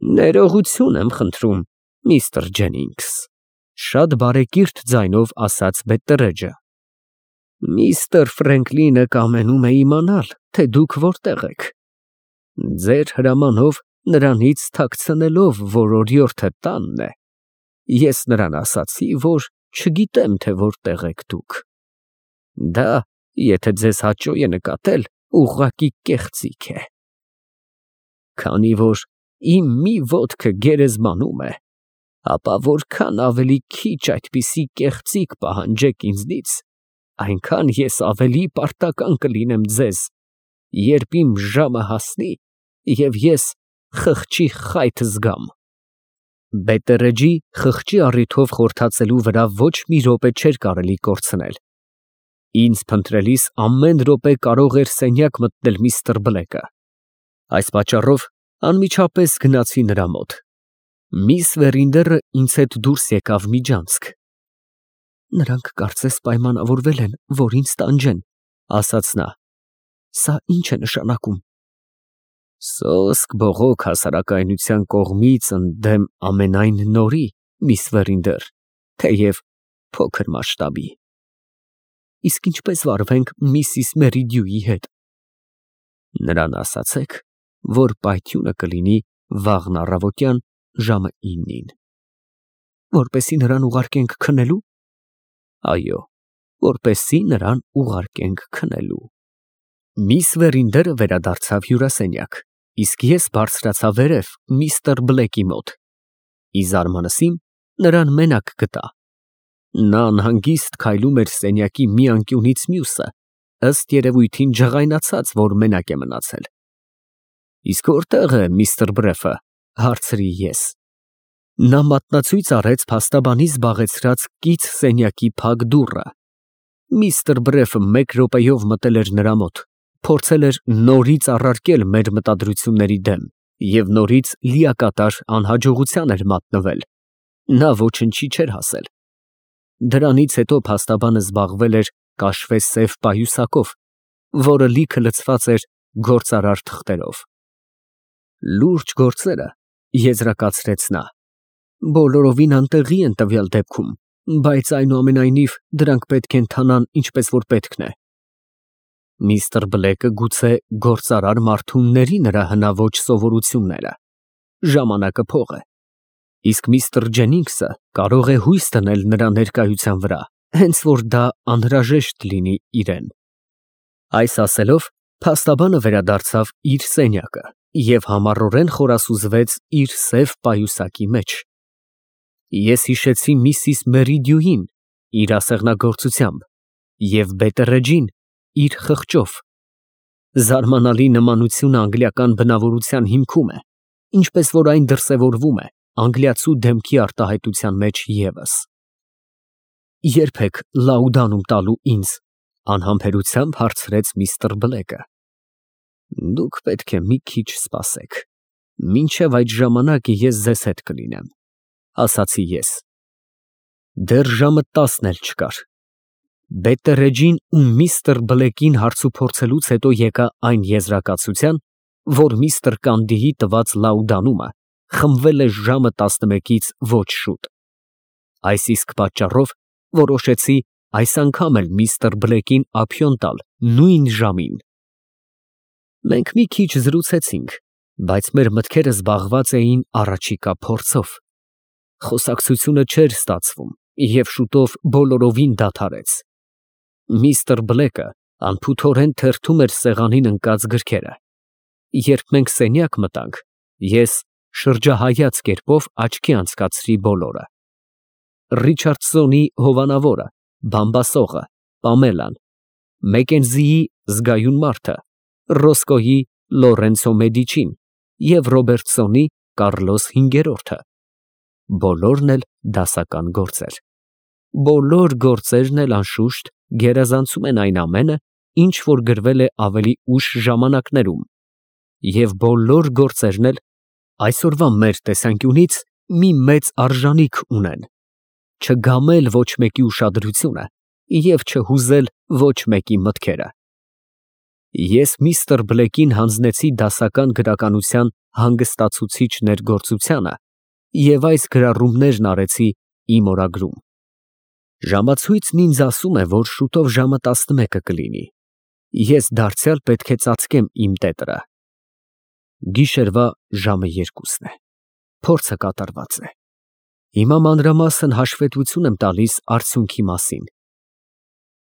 Ներողություն եմ խնդրում, միստր Ջենինգս, շատ բարեկիրթ ձայնով ասաց Բետտերեջը։ Միստր Ֆրենկլինը կամենում է իմանալ, թե դուք որտեղ եք։ Ձեր հրամանով նրանից թաքցնելով, որ օրիորդը տանն է, ես նրան ասացի, որ չգիտեմ, թե որտեղ եք դուք։ Դա, եթե ձեզ հաճո է նկատել, ուղղակի կեղծիք է։ Քանի որ իմ մի ոտքը գերեզմանում է, ապա որքան ավելի քիչ այդպիսի կեղծիք պահանջեք ինձնից, այնքան ես ավելի պարտական կլինեմ ձեզ, երբ իմ ժամը հասնի և ես խղճի խայթ զգամ։ Բետտերեջի խղճի առիթով խորթացելու վրա ոչ մի րոպե չէր կարելի կորցնել։ Ինձ փնտրելիս ամեն րոպե կարող էր սենյակ մտնել միստր Բլեկը։ Այս պատճառով անմիջապես գնացի նրա մոտ։ Միս Վերինդերը ինձ հետ դուրս եկավ միջանցք։ Նրանք կարծես պայմանավորվել են, որ ինձ տանջեն, ասաց նա։ Սա ինչ է նշանակում։ Սոսկ բողոք հասարակայնության կողմից ընդդեմ ամենայն նորի, միս Վերինդեր, թեև փոքր մասշտաբի։ Իսկ ինչպես վարվենք միսիս Մերիդյուի հետ։ Նրան ասացեք, որ պայթյունը կլինի վաղն առավոտյան ժամը 9-ին։ Որպեսզի նրան ուղարկենք քնելու։ Այո, որպեսզի նրան ուղարկենք քնելու։ Միս Վերինդերը վերադարձավ հյուրասենյակ, իսկ ես բարձրացա վերև միստր Բլեկի մոտ։ Ի զարմանս իմ նրան մենակ գտա։ Նա անհանգիստ քայլում էր սենյակի մի անկյունից մյուսը, ըստ երևույթին ջղայնացած, որ մենակ է մնացել։ Իսկ որտեղ է միստր Բրեֆը, հարցրի ես։ Նա մատնացույց արեց փաստաբանի զբաղեցրած կից սենյակի փակ դուռը։ Միստր Բրեֆը մեկ րոպեով մտել էր նրա մոտ, փորձել էր նորից առարկել մեր մտադրությունների դեմ և նորից լիակատար անհաջողության էր մատնվել։ Նա ոչնչի չէր հասել։ Դրանից հետո փաստաբանը զբաղվել էր կաշվե սև պայուսակով, որը լիքը լցված էր գործարար թղթերով։ Լուրջ գործերը, եզրակացրեց նա, բոլորովին անտեղի են տվյալ դեպքում, բայց այնուամենայնիվ դրանք պետք է ընթանան ինչպես որ պետք է։ Միստր Բլեկը գուցե գործարար մարդունների նրա հնաոճ սովորությունները։ Ժամանակը փող է։ Իսկ միստր Ջենինգսը կարող է հույս դնել նրա ներկայության վրա, հենց որ դա անհրաժեշտ լինի իրեն։ Այս ասելով, փաստաբանը վերադարձավ իր սենյակը և համառորեն խորասուզվեց իր սև պայուսակի մեջ։ Ես հիշեցի միսիս Մերիդյուին իր ասեղնագործությամբ և Բետտերեջին իր խղճով։ Զարմանալի նմանությունը անգլիական բնավորության հիմքում է, ինչպես որ այն դրսևորվում է անգլիացու դեմքի արտահայտության մեջ ևս։ Ե՞րբ եք Լաուդանում տալու ինձ, անհամբերությամբ հարցրեց միստր Բլեկը։ Դուք պետք է մի քիչ սպասեք, մինչև այդ ժամանակը ես ձեզ հետ կլինեմ, ասացի ես։ Դեռ ժամը 10-ն էլ չկար։ Բետտերեջին ու միստր Բլեկին հարցուփորձելուց հետո եկա այն եզրակացության, որ միստր Կանդիի տված Լաուդանումը խմբվել է ժամը 11-ից ոչ շուտ։ Այս իսկ պատճառով որոշեցի այս անգամ էլ միստր Բլեկին ափիոն տալ նույն ժամին։ Մենք մի քիչ զրուցեցինք, բայց մեր մտքերը զբաղված էին առաջիկա փորձով։ Խոսակցությունը չէր ստացվում և շուտով բոլորովին դադարեց։ Միստր Բլեկը անփութորեն թերթում էր սեղանին ընկած գրքերը։ Երբ մենք սենյակ մտանք, ես շրջահայաց կերպով աչքի անցկացրի բոլորը։ Ռիչարդսոնի հովանավորը, բամբասողը, Պամելան, Մեկենզիի զգայուն մարդը, Ռոսկոյի Լորենցո Մեդիչին և Ռոբերտսոնի Կարլոս հինգերորդը։ Բոլորն էլ դասական գործեր։ Բոլոր գործերն էլ անշուշտ գերազանցում են այն ամենը, ինչ որ գրվել է ավելի ուշ ժամանակներում, և բոլոր գործերն էլ այսօրվա մեր տեսանկյունից մի մեծ արժանիք ունեն. չգամել ոչ մեկի ուշադրությունը և չհուզել ոչ մեկի մտքերը։ Ես միստր Բլեքին հանձնեցի դասական գրականության հանգստացուցիչ ներգործությանը և այս գրառումներն արեցի իմ օրագրում։ Ժամացույցն ինձ ասում է, որ շուտով ժամը 11 կլինի։ Ես դարձյալ պետք է ծածկեմ իմ տետրը։ Գիշերվա ժամը 2-ն է։ Փորձը կատարված է։ Հիմա մանրամասն հաշվետվություն եմ տալիս արդյունքի մասին։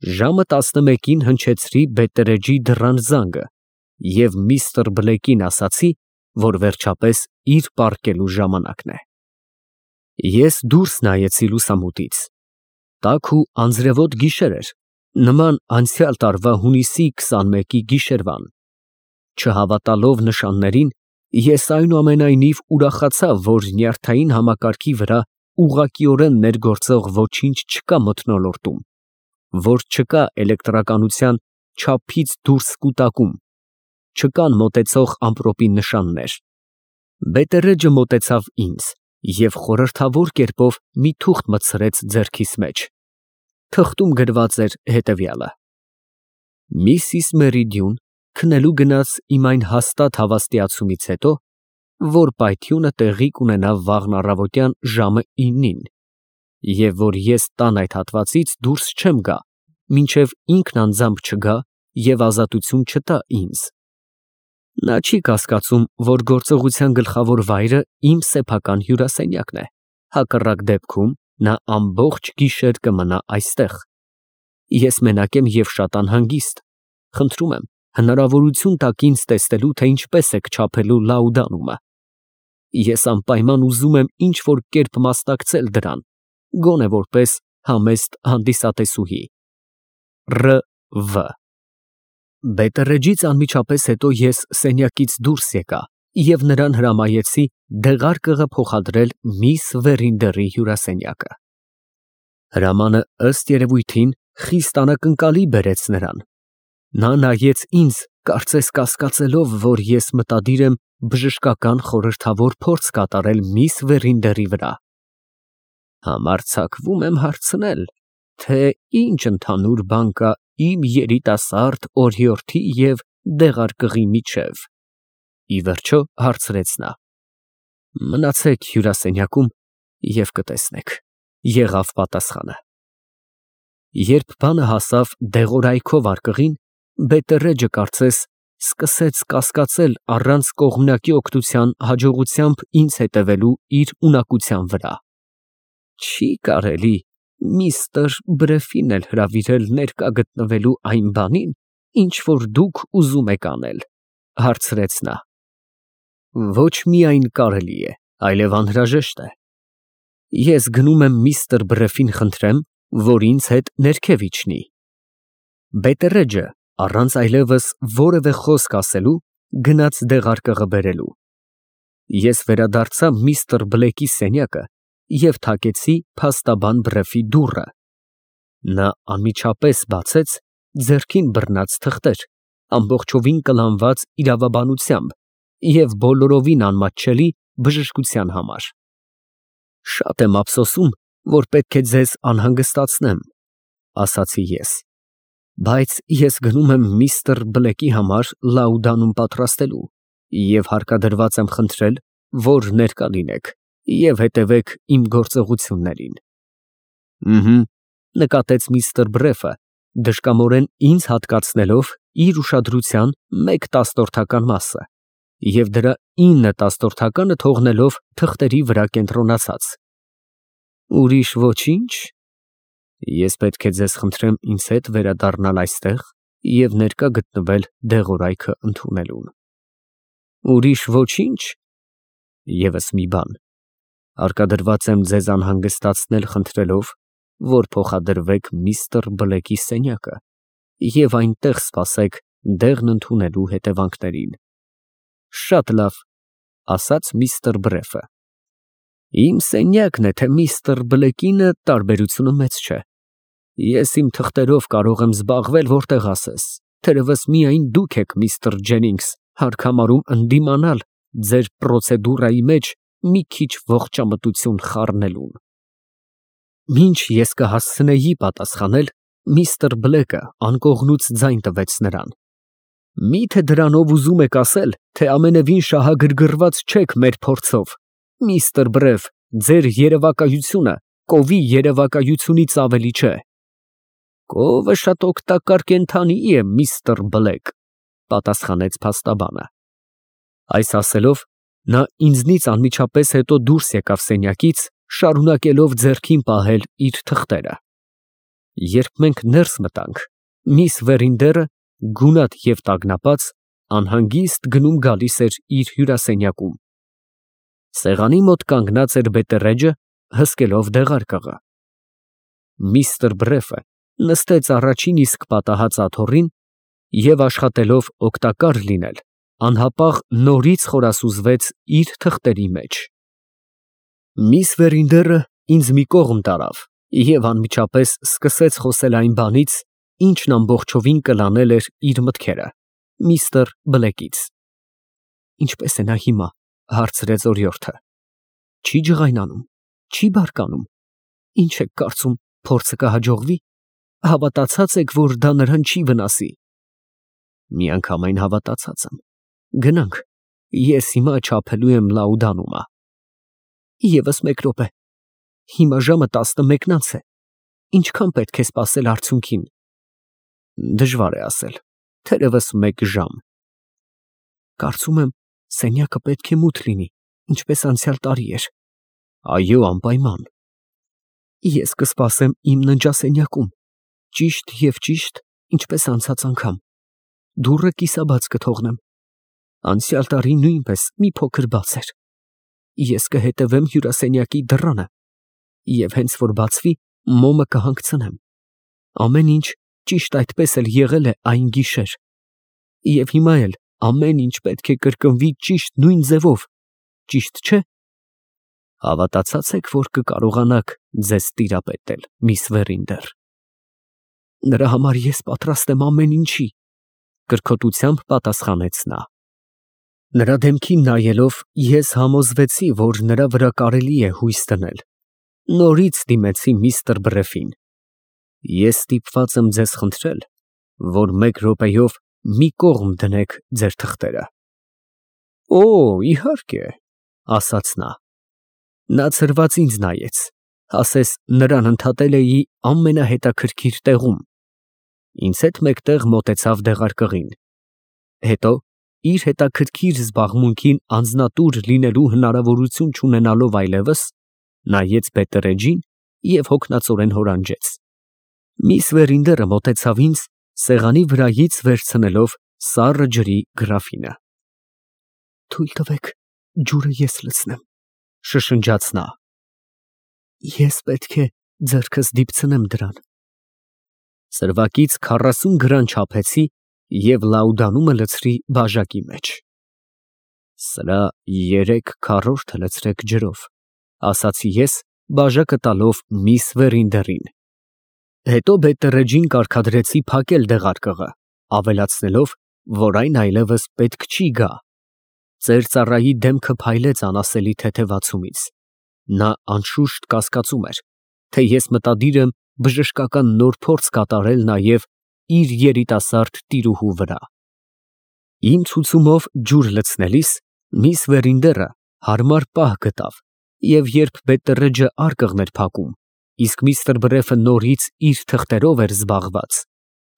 Ժամը 11-ին հնչեցրի Բետտերեջի դռան զանգը և միստր Բլեքին ասացի, որ վերջապես իր պառկելու ժամանակն է։ Ես դուրս նայեցի լուսամուտից։ Տաք ու անձրևոտ գիշեր էր, նման անցյալ տարվա հունիսի 21-ի գիշերվան։ Չհավատալով նշաններին, ես այնուամենայնիվ ուրախացա, որ նյարդային համակարգի վրա ուղղակիորեն ներգործող ոչինչ չկա մթնոլորտում, որ չկա էլեկտրականության չափից դուրս կուտակում, չկան մոտեցող ամպրոպի նշաններ։ Բետտերեջը մոտեցավ ինձ և խորհրդավոր կերպով մի թուղթ մտցրեց ձեռքիս մեջ։ Թղթում գրված էր հետևյալը. Միսիս Մերիդյուն քնելու գնաց իմ այն հաստատ հավաստիացումից հետո, որ պայթյունը տեղի կունենա վաղն առավոտյան ժամը 9-ին, և որ ես տան այդ հատվածից դուրս չեմ գա, մինչև ինքն անձամբ չգա և ազատություն չտա ինձ։ Նա չի կասկածում, որ գործողության գլխավոր վայրը իմ սեփական հյուրասենյակն է, հակառակ դեպքում նա ամբողջ գիշեր կմնա այստեղ։ Ես մենակ եմ և շատ անհանգիստ։ Խնդրում եմ, հնարավորություն տաք ինձ տեսնելու, թե ինչպես եք չափելու լաուդանումը։ Ես անպայման ուզում եմ ինչ-որ կերպ մասնակցել դրան, գոնե որպես համեստ հանդիսատեսուհի։ R.V. Բետտերեջից անմիջապես հետո ես սենյակից դուրս եկա և նրան հրամայեցի դեղարկղը փոխադրել միս Վերինդերի հյուրասենյակը։ Հրամանը ըստ երևույթին խիստ անակնկալի բերեց նրան։ Նա նայեց ինձ, կարծես կասկածելով, որ ես մտադիր եմ բժշկական խորհրդավոր փորձ կատարել միս Վերինդերի վրա։ Համարձակվում եմ հարցնել, թե ինչ ընդհանուր բան կա իմ երիտասարդ օրիորդի և դեղարկղի միջև, ի վերջո հարցրեց նա։ Մնացեք հյուրասենյակում և կտեսնեք, եղավ պատասխանը։ Երբ բանը հասավ դեղորայքով արկղին, Բետտերեջը կարծես սկսեց կասկածել առանց կողմնակի օգնության հաջողությամբ ինձ հետևելու իր ունակության վրա։ Չի կարելի միստր Բրեֆին էլ հրավիրել ներկա գտնվելու այն բանին, ինչ որ դուք ուզում եք անել, հարցրեց նա։ Ոչ միայն կարելի է, այլև անհրաժեշտ է։ Ես գնում եմ միստր Բրեֆին խնդրեմ, որ ինձ հետ ներքև իջնի։ Բետտերեջը առանց այլևս որևէ խոսք ասելու գնաց դեղարկղը բերելու։ Ես վերադարձա միստր Բլեքի սենյակը և թակեցի փաստաբան Բրեֆի դուռը։ Նա անմիջապես բացեց, ձեռքին բռնած թղթեր, ամբողջովին կլանված իրավաբանությամբ և բոլորովին անմատչելի բժշկության համար։ Շատ եմ ափսոսում, որ պետք է ձեզ անհանգստացնեմ, ասացի ես, բայց ես գնում եմ միստր Բլեքի համար լաուդանում պատրաստելու և հարկադրված եմ խնդրել, որ ներկա լինեք և հետևեք իմ գործողություններին։ Նկատեց միստր Բրեֆը, դժկամորեն ինձ հատկացնելով իր ուշադրության 1/10 մասը և դրա 9/10 թողնելով թղթերի վրա կենտրոնացած։ Ուրիշ ոչինչ։ Ես պետք է ձեզ խնդրեմ ինձ հետ վերադառնալ այստեղ և ներկա գտնվել դեղորայքը ընդունելուն։ Ուրիշ ոչինչ։ Եվս մի բան. հարկադրված եմ ձեզ անհանգստացնել խնդրելով, որ փոխադրվեք միստր Բլեքի սենյակը և այնտեղ սպասեք դեղն ընդունելու հետևանքներին։ Շատ լավ, ասաց միստր Բրեֆը։ Իմ սենյակն է, թե միստր Բլեկինը, տարբերությունը մեծ չէ։ Ես իմ թղթերով կարող եմ զբաղվել որտեղ ասես, թերևս միայն դուք եք, միստր Ջենինգս, հարկ համարում ընդդիմանալ ձեր պրոցեդուրայի մեջ մի քիչ ողջամտություն խառնելուն։ Մինչ ես կհասցնեի պատասխանել, միստր Բլեկը անկողնուց ձայն տվեց նրան։ Միթե դրանով ուզում եք ասել, թե ամենևին շահագրգռված չեք մեր փորձով, միստր Բրեֆ, ձեր երևակայությունը կովի երևակայությունից ավելի չէ։ Կովը շատ օգտակար կենդանի է, միստր Բլեկ, պատասխանեց փաստաբանը։ Այս ասելով, նա ինձնից անմիջապես հետո դուրս եկավ սենյակից, շարունակելով ձեռքին պահել իր թղթերը։ Երբ մենք ներս մտանք, միս Վերինդերը, գունատ և տագնապած, անհանգիստ գնում գալիս էր իր հյուրասենյակում։ Սեղանի մոտ կանգնած էր Բետտերեջը, հսկելով դեղարկղը։ Միստր Բրեֆը նստեց առաջին իսկ պատահած աթոռին և աշխատելով օգտակար լինել, անհապաղ նորից խորասուզվեց իր թղթերի մեջ։ Միս Վերինդերը ինձ մի կողմ տարավ և անմիջապես սկսեց խոսել այն բանից, ինչն ամբողջովին կլանել էր իր մտքերը, միստր Բլեկից։ Ինչպե՞ս է նա հիմա, հարցրեց օրիորդը։ Չի ջղայնանում, չի բարկանում, ինչ եք կարծում, փորձը կհաջողվի։ Հավատացած եք, որ դա նրան չի վնասի։ Միանգամայն հավատացած եմ։ Գնանք, ես հիմա չափելու եմ Լաուդանումը։ Եվս մեկ րոպե։ Հիմա ժամը 11-ից է։ Ինչքան պետք է սպասել արդյունքին։ Դժվար է ասել, թերևս 1 ժամ։ Կարծում եմ, սենյակը պետք է մութ լինի, ինչպես անցյալ տարի էր։ Այո, անպայման։ Ես կսպասեմ իմ ննջասենյակում, ճիշտ և ճիշտ, ինչպես անցած անգամ։ Դուռը կիսաբաց կթողնեմ։ Անցյալ տարի նույնպես մի փոքր բաց էր։ Ես կհետևեմ հյուրասենյակի դռանը և հենց որ բացվի, մոմը կհանգցնեմ։ Ամեն ինչ ճիշտ այդպես էլ եղել է այն գիշեր։ Եվ հիմա էլ ամեն ինչ պետք է կրկնվի ճիշտ նույն ձևով, ճիշտ չէ։ Հավատացած եք, որ կկարողանաք ձեզ տիրապետել, միս Վերինդեր։ Նրա համար ես պատրաստ եմ ամեն ինչի, կրկոտությամբ պատասխանեց նա։ Նրա դեմքին նայելով, ես համոզվեցի, որ նրա վրա կարելի է հույս դնել։ Նորից դիմեցի միստր Բրեֆին։ Ես ստիպված եմ ձեզ խնդրել, որ 1 րոպեով մի կողմ դնեք ձեր թղթերը։ Օ, իհարկե, ասաց նա։ Նա ցրված ինձ նայեց, ասես նրան ընդհատել էի ամենահետաքրքիր տեղում։ Ինձ հետ մեկտեղ մոտեցավ դեղարկղին։ Հետո, իր հետաքրքիր զբաղմունքին անձնատուր լինելու հնարավորություն չունենալով այլևս, նայեց Բետտերեջին և հոգնածորեն հորանջեց։ Միս Վերինդերը մոտեցավ ինձ, սեղանի վրայից վերցնելով սառը ջրի գրաֆինը։ Թույլ տվեք, ջուրը ես լցնեմ, շշնջաց նա։ Ես պետք է ձեռքս դիպցնեմ դրան։ Սրվակից 40 գրան չափեցի և Լաուդանումը լցրի բաժակի մեջ։ Սրա 3/4 լցրեք ջրով, ասացի ես, բաժակը տալով միս Վերինդերին։ Հետո Բետտերեջին կարգադրեցի փակել դեղարկղը, ավելացնելով, որ այն այլևս պետք չի գա։ Ծեր ծառայի դեմքը փայլեց անասելի թեթևացումից։ Նա անշուշտ կասկածում էր, թե ես մտադիր եմ բժշկական նոր փորձ կատարել նաև իր երիտասարդ տիրուհու վրա։ Իմ ցուցումով ջուր լցնելիս միս Վերինդերը հարմար պահ գտավ, և երբ Բետտերեջը արկղն էր փակում, իսկ միստր Բրեֆը նորից իր թղթերով էր զբաղված,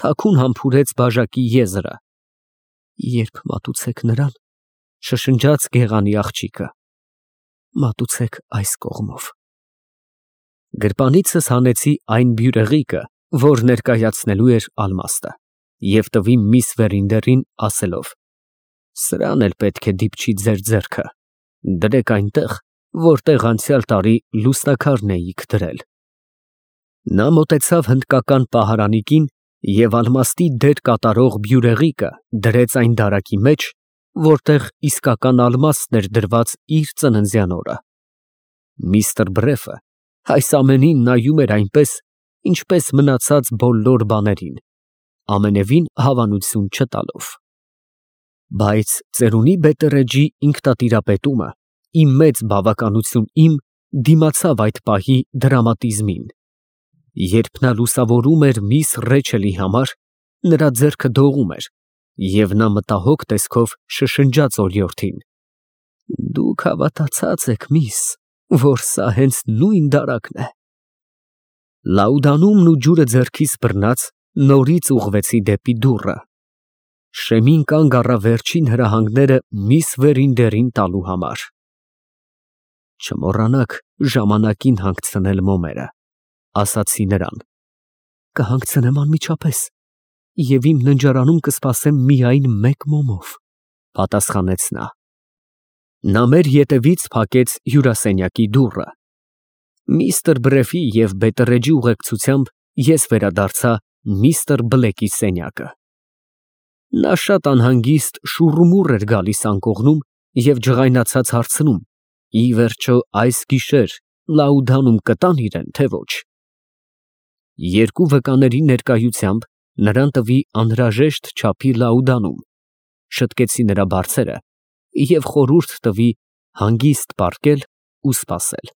թաքուն համբուրեց բաժակի եզրը։ Երբ մատուցեք նրան, շշնջաց գեղանի աղջիկը, մատուցեք այս կողմով։ Գրպանիցս հանեցի այն բյուրեղիկը, որ ներկայացնելու էր ալմաստը, և տվի միս Վերինդերին, ասելով. Սրան էլ պետք է դիպչի ձեր ձեռքը, դրեք այնտեղ, որտեղ անցյալ տարի լուսնաքարն էիք դրել։ Նա մոտեցավ հնդկական պահարանիկին և ալմաստի դեր կատարող բյուրեղիկը դրեց այն դարակի մեջ, որտեղ իսկական ալմաստն էր դրված իր ծննդյան օրը։ Միստր Բրեֆը այս ամենին նայում էր այնպես, ինչպես մնացած բոլոր բաներին, ամենևին հավանություն չտալով։ Բայց ծերունի Բետտերեջի ինքնատիրապետումը, իմ մեծ բավականություն դիմացավ այդ պահի դրամատիզմին։ Երբ նա լուսավորում էր միս Ռեչելի համար, նրա ձեռքը դողում էր, Եվ նա մտահոգ տեսքով շշնջաց օրիորդին. Դուք հավատացած եք, միս, որ սա հենց նույն դարակն է։ Լաուդանումն ու ջուրը ձեռքից բռնած նորից ուղղվեցի դեպի դուռը։ Շեմին կանգ առավ վերջին հրահանգները միս վերին դերին տալու համար։ Չմոռանաք ժամանակին հանգցնել մոմերը, ասացի նրան։ Կհանգցնեմ անմիջապես, և իմ ննջարանում կսպասեմ միայն մեկ մոմով, պատասխանեց նա։ Նա մեր ետևից փակեց հյուրասենյակի դուռը։ Միսթր Բրեֆի և Բետտերեջի ուղեկցությամբ ես վերադարձա միսթր Բլեքի սենյակը։ Նա շատ անհանգիստ շուռումուռ էր գալիս անկողնում և ջղայնացած հարցնում. ի վերջո այս գիշեր Լաուդանում կտա՞ն իրեն, թե ոչ։ Երկու վկաների ներկայությամբ նրան տվի անհրաժեշտ չափի լաուդանում, շտկեցի նրա բարձերը և խորհուրդ տվի հանգիստ պառկել ու սպասել։